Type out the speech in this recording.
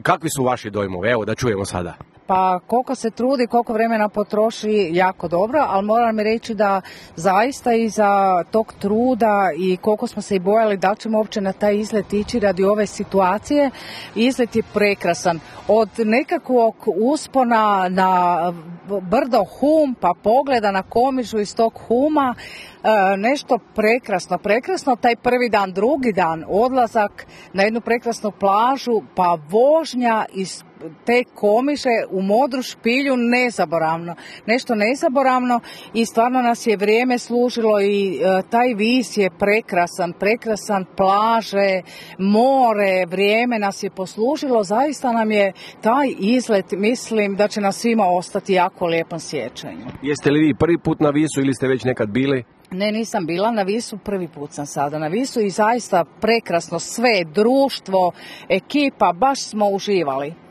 Kakvi su vaši dojmovi? Evo da čujemo sada. Pa koliko se trudi, koliko vremena potroši, jako dobro, ali moram mi reći da zaista iza tog truda i koliko smo se i bojali da ćemo uopće na taj izlet ići radi ove situacije, izlet je prekrasan. Od nekakvog uspona na brdo Hum pa pogleda na Komižu iz tog Huma, nešto prekrasno, taj prvi dan, drugi dan, odlazak na jednu prekrasnu plažu, pa vožnja iz te Komiže u Modru špilju, nešto nezaboravno i stvarno nas je vrijeme služilo i taj vis je prekrasan, plaže, more, vrijeme nas je poslužilo, zaista nam je taj izlet, mislim da će nas svima ostati jako lijepom sjećanju. Jeste li vi prvi put na Visu ili ste već nekad bili? Ne, nisam bila na Visu, prvi put sam sada na Visu i zaista prekrasno sve, društvo, ekipa, baš smo uživali.